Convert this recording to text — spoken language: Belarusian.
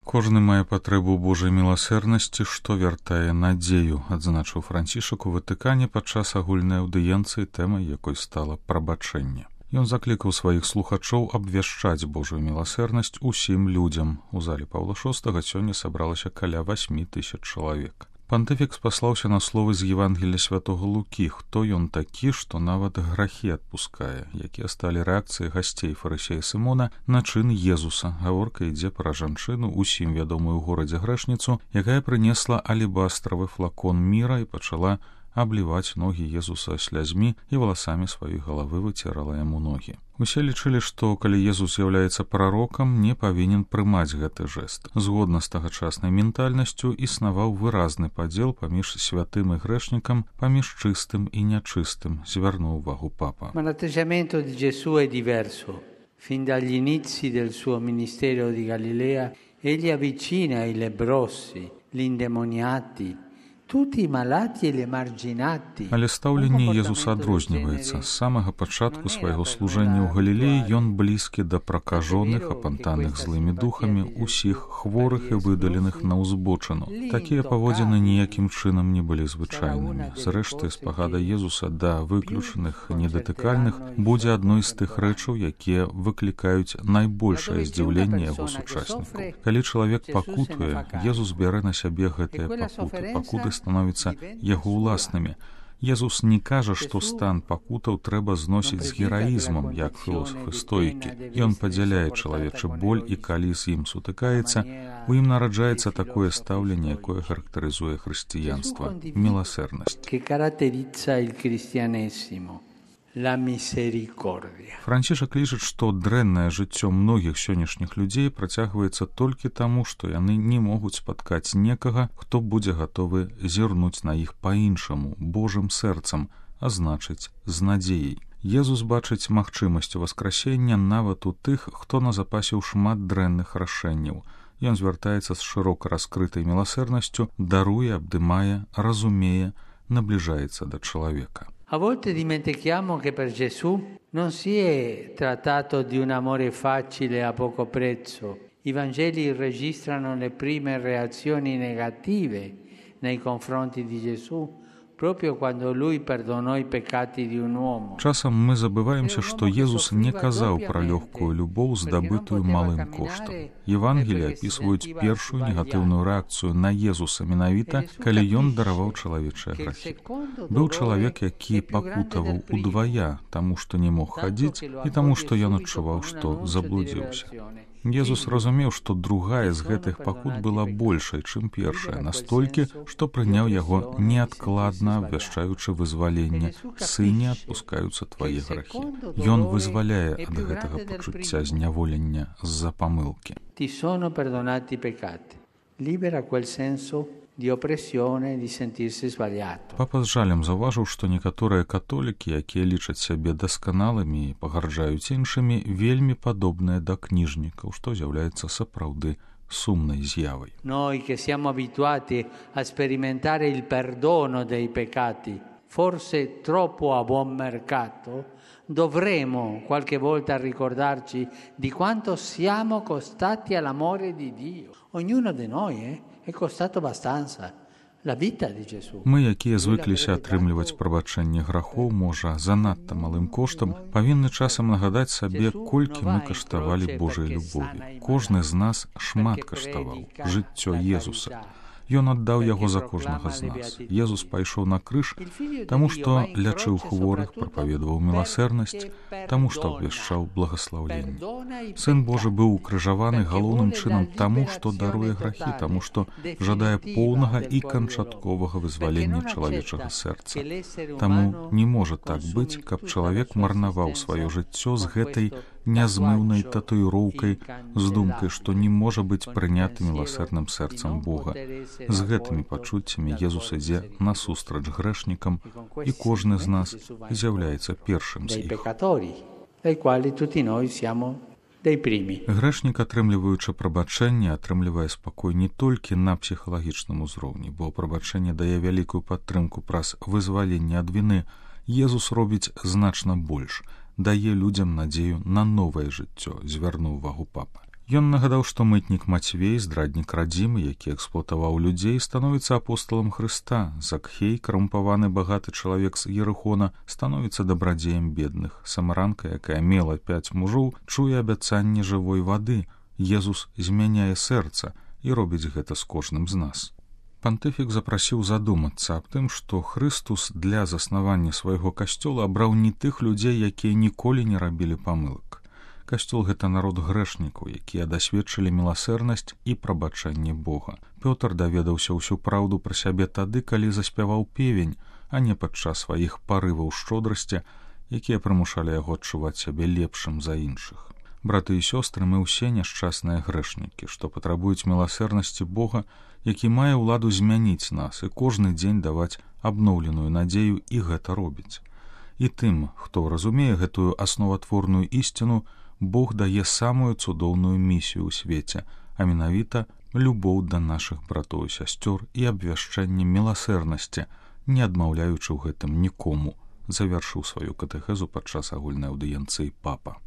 Кожны мае патрэбу ў Божай міласэрнасці, што вяртае надзею, адзначыў Францішак у Ватыкане падчас агульнай аўдыенцыі, тэмай якой стала прабачэнне. Ён заклікаў сваіх слухачоў абвяшчаць Божую міласэрнасць усім людзям. У зале Паўла VI сёння сабралася каля 8000 чалавек. Пантыфік спаслаўся на словы з Евангелія святога Лукі, хто ён такі, што нават грахі адпускае, якія сталі рэакцыяй гасцей фарысея Сымона на чын Езуса. Гаворка ідзе пра жанчыну, усім вядомую ў горадзе грэшніцу, якая прынесла алебастравы флакон міра і пачала абліваць ногі Езуса слязьмі і валасамі сваёй галавы выцірала яму ногі. Усе лічылі, што калі Езус з'яўляецца прарокам, не павінен прымаць гэты жэст. Згодна з тагачаснай ментальнасцю існаваў выразны падзел паміж святым і грэшнікам, паміж чыстым і нячыстым, звярнуў увагу папа. Ma l'atteggiamento di Gesù è diverso. Fin dagli inizi del suo ministero di Galilea, egli avvicina i lebbrosi, gli indemoniati, Але стаўленне Езуса адрозніваецца. З самага пачатку свайго служэння ў Галілеі ён блізкі да пракажоных, апантаных злымі духамі, усіх хворых і выдаленых на ўзбочыну. Такія паводзіны ніякім чынам не былі звычайнымі. Зрэшты, спагада Езуса да выключаных недатыкальных будзе адной з тых рэчаў, якія выклікаюць найбольшае здзіўленне яго сучаснікаў. Калі чалавек пакутуе, Езус бярэ на сябе гэтыя пакуты становяцца яго ўласнымі. Езус не кажа, што стан пакутаў трэба зносіць з гераізмам, як філосафы стоікі. Ён падзяляе чалавечы боль, і калі з ім сутыкаецца, у ім нараджаецца такое стаўленне, якое характарызуе хрысціянства – міласэрнасць. Францішак лічыць, што дрэннае жыццё многіх сённяшніх людзей працягваецца толькі таму, што яны не могуць спаткаць некага, хто будзе гатовы зірнуць на іх па-іншаму, Божым сэрцам, а значыць, з надзеяй. Езус бачыць магчымасць васкрасення нават у тых, хто назапасіў шмат дрэнных рашэнняў. Ён звяртаецца з шырока раскрытай міласэрнасцю, даруе, абдымае, разумее, набліжаецца да чалавека. A volte dimentichiamo che per Gesù non si è trattato di un amore facile a poco prezzo. I Vangeli registrano le prime reazioni negative nei confronti di Gesù proprio quando lui perdonò i peccati di un uomo. Часам мы забываемся, што Езус не казаў пра лёгкую любоў, здабытую малым коштам. Евангеліі апісваюць першую негатыўную рэакцыю на Езуса менавіта, калі ён дараваў чалавечыя грахі. Быў чалавек, які пакутаваў удвая, таму што не мог хадзіць, і таму што ён адчуваў, што заблудзіўся. Езус разумеў, што другая з гэтых пакут была большай, чым першая, настолькі, што прыняў яго неадкладна, абвяшчаючы вызваленне. «Сыне, адпускаюцца твае грахі». Ён вызваляе ад гэтага пачуцця зняволення з-за памылкі. «Ti sono perdonati i peccati». Libera quel senso di oppressione, di sentirsi sbagliato. Папа з жалем заўважыў, што некаторыя католікі, якія лічаць сябе дасканалымі і пагарджаюць іншымі, вельмі падобныя да кніжнікаў, што з'яўляецца сапраўды сумнай з'явай. Noi che siamo abituati a sperimentare il perdono dei peccati, forse troppo a buon mercato, dovremo qualche volta ricordarci di quanto siamo costati all'amore di Dio. Ognuno di noi è costato abbastanza. La vita di Gesù. Мы, якія звыкліся атрымліваць прабачэнне грахоў, можа, занадта малым коштам, павінны часам нагадаць сабе, колькі мы каштавалі Божай любові. Кожны з нас шмат каштаваў жыццё Езуса. Ён аддаў яго за кожнага з нас. Езус пайшоў на крыж, таму што лячыў хворых, прапаведаваў міласэрнасць, таму што абвяшчаў благаслаўленне. Сын Божы быў укрыжаваны галоўным чынам таму, што даруе грахі, таму што жадае поўнага і канчатковага вызвалення чалавечага сэрца. Таму не можа так быць, каб чалавек марнаваў сваё жыццё з гэтай нязмыўнай татуіроўкай, з думкай, што не можа быць прыняты міласэрным сэрцам Бога. З гэтымі пачуццямі Езус ідзе насустрач грэшнікам, і кожны з нас з'яўляецца першым з іх. Грэшнік, атрымліваючы прабачэнне, атрымлівае спакой не толькі на псіхалагічным узроўні, бо прабачэнне дае вялікую падтрымку праз вызваленне ад віны. Езус робіць значна больш, дае людзям надзею на новае жыццё, звярнуў увагу папа. Ён нагадаў, што мытнік Мацвей, здраднік радзімы, які эксплуатаваў людзей, становіцца апосталам Хрыста. Закхей, карумпаваны багаты чалавек з Ерыхона, становіцца дабрадзеем бедных. Самаранка, якая мела 5 мужоў, чуе абяцанне жывой вады. Езус змяняе сэрца і робіць гэта з кожным з нас. Пантыфік запрасіў задумацца аб тым, што Хрыстус для заснавання свайго касцёла абраў не тых людзей, якія ніколі не рабілі памылак. Касцёл — гэта народ грэшнікаў, якія дасведчылі міласэрнасць і прабачэнне Бога. Пётр даведаўся ўсю праўду пра сябе тады, калі заспяваў певень, а не падчас сваіх парываў шчодрасці, якія прымушалі яго адчуваць сябе лепшым за іншых. Браты і сёстры, мы ўсе няшчасныя грэшнікі, што патрабуюць міласэрнасці Бога, які мае ўладу змяніць нас і кожны дзень даваць абноўленую надзею, і гэта робіць. І тым, хто разумее гэтую асноватворную ісціну, Бог дае самую цудоўную місію ў свеце, а менавіта любоў да нашых братоў і сясцёр і абвяшчэнне міласэрнасці, не адмаўляючы ў гэтым нікому, завяршыў сваю катэхезу падчас агульнай аўдыенцыі папа.